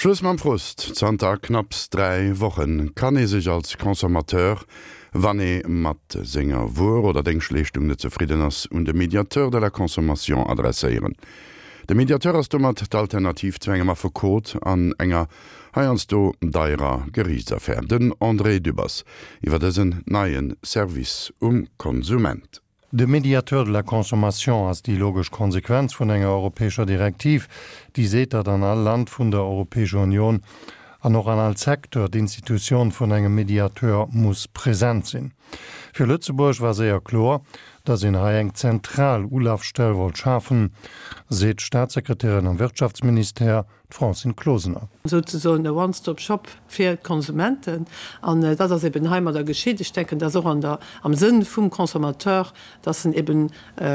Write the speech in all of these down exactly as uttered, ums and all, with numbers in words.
Schluss mam Frust, Zanter knapps dräi Woche kann ee sech als Consommateur, wann ee mat senger Wuer oder Déngschtleeschtung net zefridden ass, un de Médiateur de la consommation adresséieren. De Mediateur ass domat d'Alternativ zu engem Affekot an enger heiansdo deierer Geriichtsaffär. Den André Dübbers iwwer dësen neie Service um Konsument. De Médiateur de la consommation ass déi logesch Konsequenz vun enger europäescher Direktiv, déi seet, datt an all Land vun der Europäescher Union an och an all Secteur d'Institutioun vun engem Mediateur muss present sinn. Fir Lëtzebuerg war séier kloer, datt een hei eng zentral Ulafstell wollt schafen, seet d'Staatssekretärin am Wirtschaftsministère, d'Francine Closener. Souzesoen e One-Stop-Shop fir d'Konsumenten. An dat ass eben heimadder geschitt. Ech denken, dat ass och an der, am Sënn vum Consommateur, dass en eben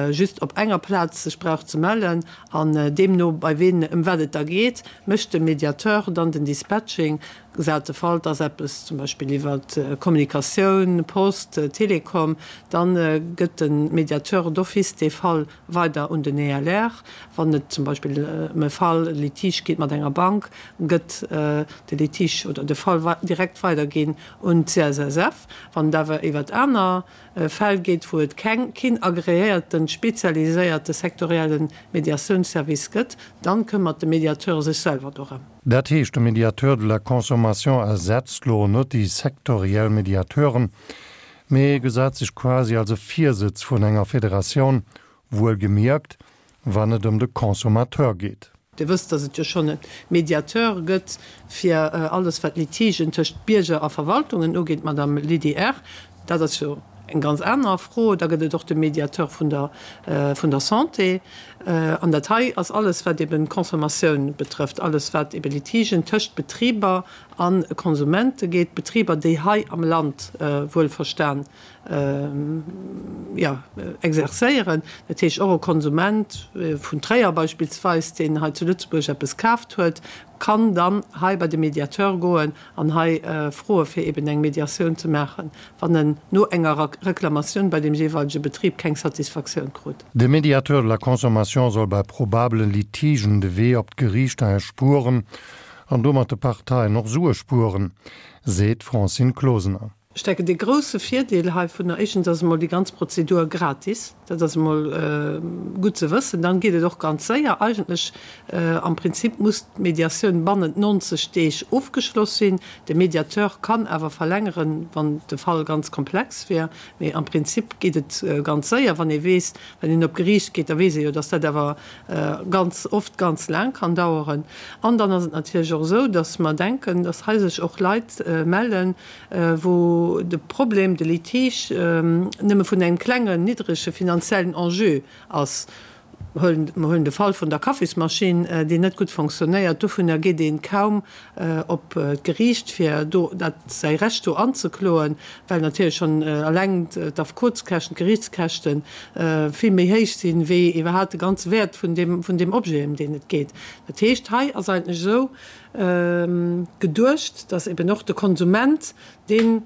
just op enger Plaz sech brauch ze mellen an deemno bei ween, ëm wat et da geet, mécht de Mediateur dann den Dispatching, gesat de Fall, et ass eppes zum Beispill iwwer Kommunikatioun, Post, Telekom, da gëtt de Mediateur d'office dee Fall weider un den E L R. Wann et zum Beispill ëm e Fall, e Litige geet mat enger Bank, gëtt de Litige oder de Fall direkt weiderginn un d'C S S F. Wann et awer iwwer aner Fäll geet, wou et keng, keen agreéierten, spezialiséierte sektorielle Mediatiounsservice gëtt, dann këmmert de Mediateur sech selwer dorëm. Dat heescht, de Médiateur de la consommation ersetzt lo net déi sektoriell Mediateuren, mee gesäit sech quasi als e Virsëtz vun enger Federatioun, wuelgemierkt, wann et ëm de Consommateur geet. Dir wësst, dass et jo schonn e Mediateur gëtt fir alles, wat Litigen tëscht Bierger a Verwaltungen ugeet, d'Madame Lydie Err. Dat ass jo eng ganz aner Fro. Da gëtt et och de Mediateur vun der, vun der Santé. An dat hei ass alles, wat eben d'Consommatioun betrëfft, alles, wat ebe Litigen tëscht Betriber a Konsumente geet, Betriber, déi hei am Land wuelverstan, jo, exerzéieren. Dat heescht, och e Konsument vun Tréier beispillsweis, deen hei zu Lëtzebuerg eppes kaaft huet, kann dann hei bei de Mediateur goen an hei froe fir eben eng Mediatioun ze maachen, wann en no enger Reklamatioun bei deem jeeweilege Betrib keng Satisfaktioun krut. De Médiateur de la consommation soll bei probabele Litigen de Wee op d'Geriichter erspueren an domat de Parteien och Sue spueren, seet d'Francine Closener. Ech denken, dee grousse Virdeel heivunner, éischtens ass emol déi ganz Prozedur gratis, dat ass emol gutt ze wëssen. Dann geet et och ganz séier. Eigentlech, am Prinzip muss d'Mediatioun bannent neunzeg Deeg ofgeschloss sinn. De Mediateur kann awer verlängeren, wann de Fall ganz komplex wier. Mee am Prinzip geet et ganz séier, wann ee weess, wann een op d'Geriicht geet, da weess ee jo, dass dat awer ganz oft ganz laang kann daueren. An dann ass et natierlech och esou, dass mer denken, dass hei sech och Leit mellen, wou de Problem, de Litige nëmme vun engem klengen, niddrege finanziellen Enjeu ass. Mer huelen de Fall vun der Kaffismaschinn, déi net gutt fonctionnéiert. Dovunner geet ee kaum op d'Geriicht, fir do dat säi Recht do anzekloen, well natierlech schonn eleng d'Affekotskäschten, d'Geriichtskäschte vill méi héich sinn, wéi iwwerhaapt de ganze Wäert vun deem, vun deem Objet, ëm deen et geet. Dat heescht, hei ass eigentlech esou geduecht, dass eben och de Konsument, deen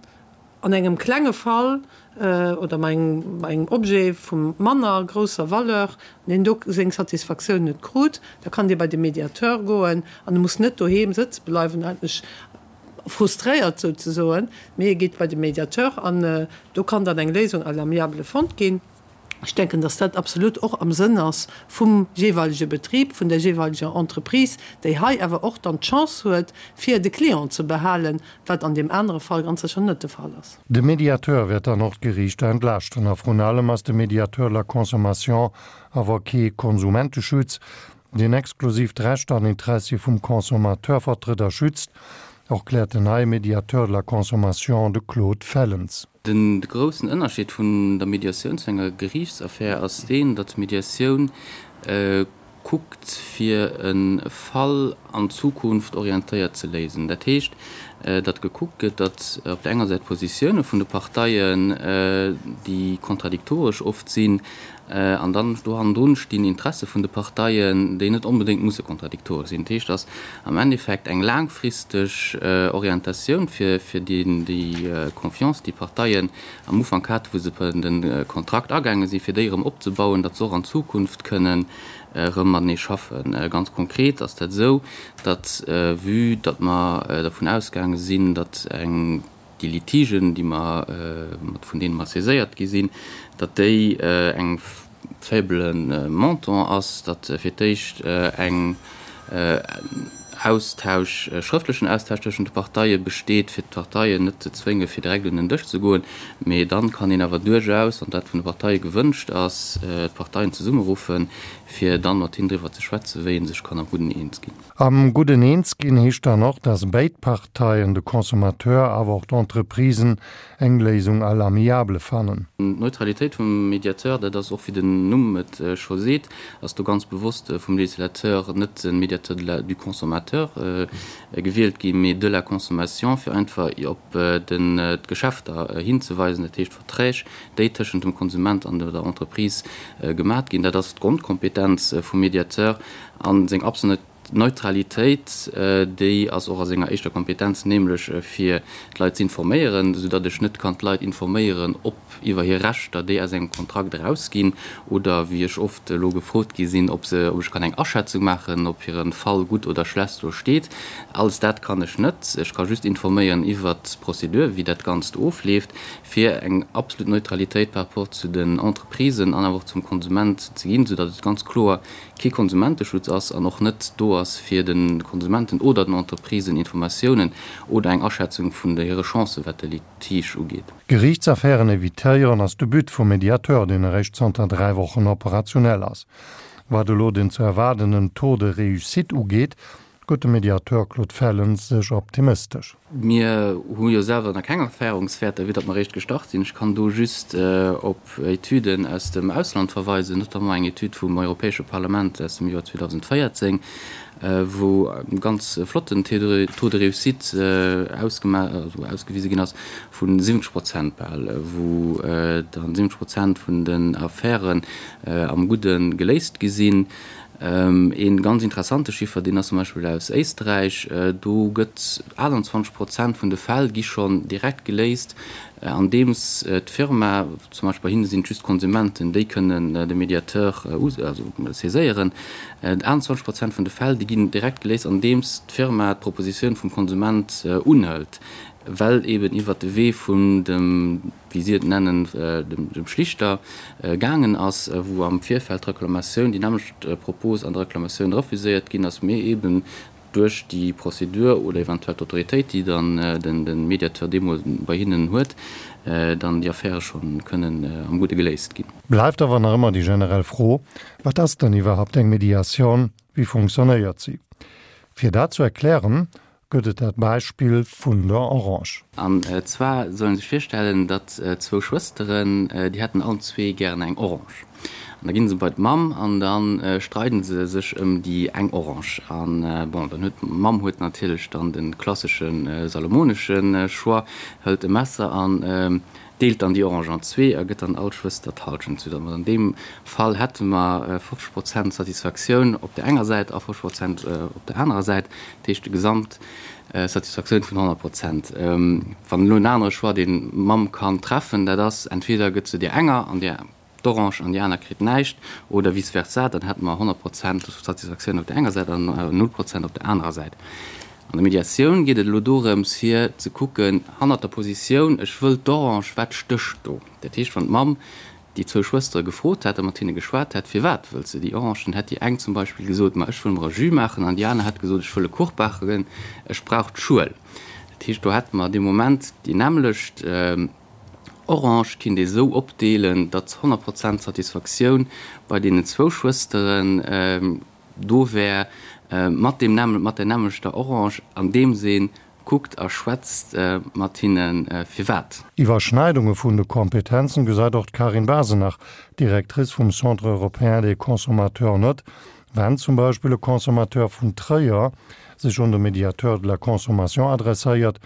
an engem klenge Fall oder bei engem Objet vu manner grousser Valeur, deen do seng Satisfaktioun net krut, da kann dee bei de Mediateur goen an e muss net doheem sëtze bleiwen, eigentlech frustréiert souzesoen, mee e geet bei de Mediateur an do kann dann eng Léisung à l'amiable fonnt ginn. Ech denken, dass dat absolut och am Sënn ass vum jeeweilege Betrib, vun der jeeweileger Entreprise, déi hei awer och dann d'Chance huet, fir de Client ze behalen, wat an deem anere Fall ganz sécher net de Fall ass. De Mediateur wäert dann och d'Geriichter entlaaschten. A vrun allem ass de Médiateur de la consommation awer kee Konsumenteschutz, deen exklusiv d'Rechter an Interessie vum Consommateur vertrëtt a schützt, erkläert den neie Médiateur de la consommation, de Claude Fellens. De groussen Ënnerscheed vun der Mediatioun zu enger Geriichtsaffär ass deen, datt d'Mediatioun kuckt, fir e Fall an d'Zukunft orientéiert ze léisen. Dat heescht, datt gekuckt gëtt, datt op der enger Säit d'Positioune vun de Parteien, déi kontradiktoresch oft sinn, an dann do hannendrun stinn Interesse vun de Parteien, déi net onbedéngt musse kontradiktoresch sinn. Dat heescht, dass am Endeffekt eng laangfristeg Orientatioun fir fir déi Confiance, déi d'Parteien am Ufank haten, wou se de Kontrakt agaange sinn, fir déi erëm opzebauen, datt se och an Zukunft kënnen erëm matenee schaffen. Ganz konkret ass dat esou, datt, vue datt mer dervun ausgaange sinn, datt eng, déi Litigen, déi mer, mat vun deene mer saiséiert gi sinn, datt déi eng faible Montant ass, datt fir d'éischt eng Austausch, schrëftlechen Austausch tëschent de Parteie besteet, fir d'Parteien net ze zwénge fir direkt un den Dësch ze goen, mee dann kann een awer duerchaus, wann dat vun de Parteie gewënscht ass, d'Parteien zesummeruffen, fir dann mat hinnen driwwer ze schwätzen, wéi ee sech kann am Gudden eens ginn. Am Gudden eens ginn heescht dann och, dass béid Parteien, de Consommateur awer och d'Entreprisen, eng Léisung à l'amiable fannen. D'Neutralitéit vum Mediateur, dat ass och, wéi den Numm et scho seet, ass do ganz bewosst vum Législateur net de Médiateur de la, du consommateur gewielt ginn, mee de la consommation, fir einfach op den, d'Geschäfter hinzeweisen, dat heescht d'Verträg, déi tëschent dem Konsument an der Entreprise gemat ginn. Dat ass d'Grondkompetenz vum Mediateur a seng absolut Neutralitéit, déi ass och a senger éischter Kompetenz, nämlech fir d'Leit z'informéieren, soudatt ech net kann d'Leit informéieren, ob iwwer hir Rechter, déi aus engem Kontrakt erausginn, oder wéi ech oft elo gefrot gi sinn, ob se, ob ech kann eng Aschätzung maachen, ob hire Fall gutt oder schlecht do steet. Alles dat kann ech net. Ech ka just informéieren iwwert d'Prozedur, wéi dat Ganzt ofleeft, fir eng absolut Neutralitéit par rapport zu den Entreprisen an awer och zum Konsument ze ginn, soudatt et ganz kloer kee Konsumenteschutz ass an och net do ass, fir de Konsumenten oder den Entreprisen Informatiounen oder eng Aschätzung vun hire Chancen, wat de Litige ugeet. Geriichtsaffären evitéieren ass de But vum Mediateur, deen eréischt zanter dräi Wochen operationell ass. Wat elo den ze erwaardenden Taux de réussite ugeet, gëtt de Mediateur Claude Fellens sech optimistesch. Mir hu jo selwer nach keng Erfahrungswäerter, vue datt mer eréischt gestart sinn. Ech kann do just op Etüden aus dem Ausland verweisen, notamment eng Etüd vum Europäesche Parlament aus dem Joer zweedausendvéierzéng, wou e ganz flotten Taux de réussite ausgewise ginn ass vu siwwenzeg Prozent bal, wou dann siwwenzeg Prozent vun den Affären am Gudde geléist gi sinn. Ee ganz interessante Chiffer, deen ass zum Beispill aus Éisträich, do gëtt aachtanzwanzeg Prozent vun de Fäll gi schonn direkt geléist, andeems d'Firma, zum Beispill bei hinne sinn et just d'Konsumenten, déi kënnen de Mediateur saiséieren, aachtanzwanzeg Prozent vun de Fäll, déi ginn direkt geléist, andeems d'Firma d'Propositioun vum Konsument unhëlt, well eben iwwert de Wee vun dem, wéi si et nennen, dem Schlichter gaangen ass, wou am Virfeld d'Reklamatioun, déi nämmlecht Propos an der Reklamatioun refuséiert ginn ass, mee eben duerch déi Prozedur oder eventuell d'Autoritéit, déi dann de Mediateur deemools bei hinnen huet, dann déi Affäre scho kënnen am Gudde geléist ginn. Bleift awer nach ëmmer déi generell Fro, Wat ass dann iwwerhaupt eng Mediatioun? Wéi funktionéiert si? Fir dat zu erklären, gëtt et dat Beispill vun der Orange. An zwar soll een sech virstellen, datt zwou Schwësteren, déi hätten allen zwee gären eng Orange. An da ginn se bei d'Mamm an da streiden se sech ëm déi eng Orange. An bon, dann huet d'Mamm huet natierlech dann de klassesche salomonesche Choix, hëlt e Messer an deelt dann déi Orange an zwee a gëtt dann all Schwëster d'Hallschent, soudatt mer an deem Fall hätte mer fofzeg Prozent Satisfaktioun op där enger Säit a fofzeg Prozent op där anerer Säit, dat heescht gesamt Satisfaktioun vun honnert Prozent. Wann elo en anere Choix, deen d'Mamm kann treffen, dat ass, entweder gëtt se där enger an där d'Orange an déi aner kritt näischt, oder vice versa, dann hätte mer honnert Prozent Satisfaktioun op där enger Säit an null Prozent op där anerer Säit. An der Mediatioun geet et elo dorëms, fir ze kucken, hannert der Positioun, ech wëll d'Orange, wat stécht do? Dat heescht, wann d'Mamm déi zwou Schwëstere gefrot hätt a mat hinne geschwat hätt, firwat wëllt se déi Orange, dann hätt déi eng zum Beispill gesot, ma ech wëll mer e Jus maachen, an déi aner hätt gesot, ech wëll e Kuch baken, ech brauch d'Schuel. Dat heescht, do hätte mer dee Moment déi nämmlecht Orange, kinnt ee sou opdeelen, datt honnert Prozent Satisfaktioun bei deenen zwou Schwësteren do wär, mat deem nämmel, mat der nämmlechter Orange, andeems ee kuckt a schwätzt mat hinnen, firwat. Iwwerschneidunge vun de Kompetenzen gesäit och d'Karin Basenach, Directrice vum Centre européen des consommateurs, net. Wenn zum Beispill e Consommateur vun Tréier sech un de Médiateur de la consommation adresséiert,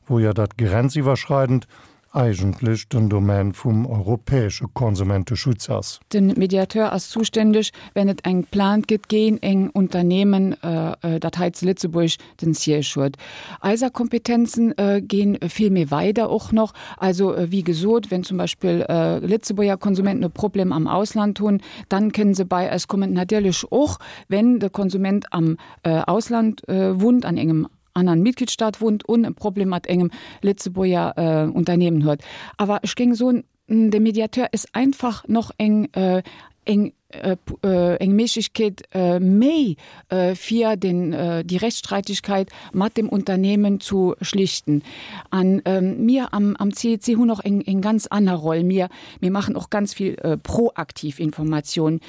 wou jo dat grenziwwerschreidend eigentlech den Domaine vum europäesche Konsumenteschutz ass. Den Mediateur ass zuständeg, wenn et eng Plainte gëtt géint eng Unternehmen, dat hei zu Lëtzebuerg den Siège huet. Eiser Kompetenzen ginn vill méi weider och noch. Also wéi gesot, wenn zum Beispill Lëtzebuerger Konsumenten e Problem am Ausland hunn, dann kënnen se bei eis kommen. Natierlech och, wenn de Konsument am Ausland wunnt, an engem aneren Mitgliedstaat wunnt un e Problem mat engem Lëtzebuerger Unternehmen huet. Awer ech géing soen, de Mediateur is einfach noch eng eng eng Méiglechkeet méi fir den déi Rechtsstreitigkeit mat dem Unternehmen zu schlichten. An mir am am CEC hunn och eng eng ganz aner Roll. Mir mir maachen och ganz vill proaktiv Informatioun,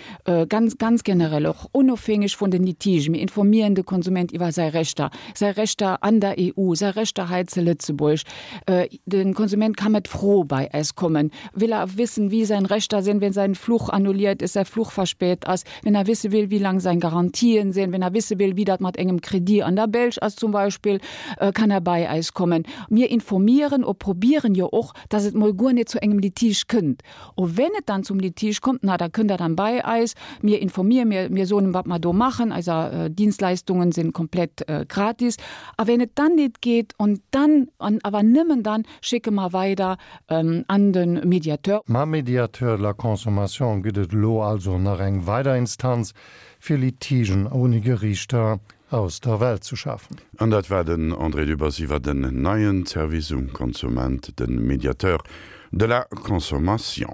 ganz ganz generell och onofhängeg vun den Litigen. Mir informieren de Konsument iwwer säi Rechter, säi Rechter an der E U, säi Rechter hei zu Lëtzebuerg. Den Konsument ka mat Fro bei eis kommen. Will er wissen, wie sein Rechter sind, wenn sein Fluch annulliert ist, säi Fluch verspätet ass, wenn er wisse will, wie lang sein Garantien sinn, wenn er wisse will, wie dat mat engem Kredit an der Belsch ass zum Beispill, kann er bei eis kommen. Mir informieren o probieren jo och, dass et mol guer net zu engem Litige kënnt. O wenn et dann zum Litige kommt, na da kënnt er dann bei eis, mir informieren, mir, mir soen, wat mer do machen, eiser Dienstleistungen sinn komplett gratis. A wenn et dann net geet und dann, an awer nëmmen dann, schicke mer weider an de Mediateur. Mam Médiateur de la consommation gëtt et elo also nach eng weider Instanz, fir Litigen ouni Geriichter aus der Welt ze schafen. An dat war den André Dübbers iwwer den neien Service um Konsument, de Médiateur de la consommation.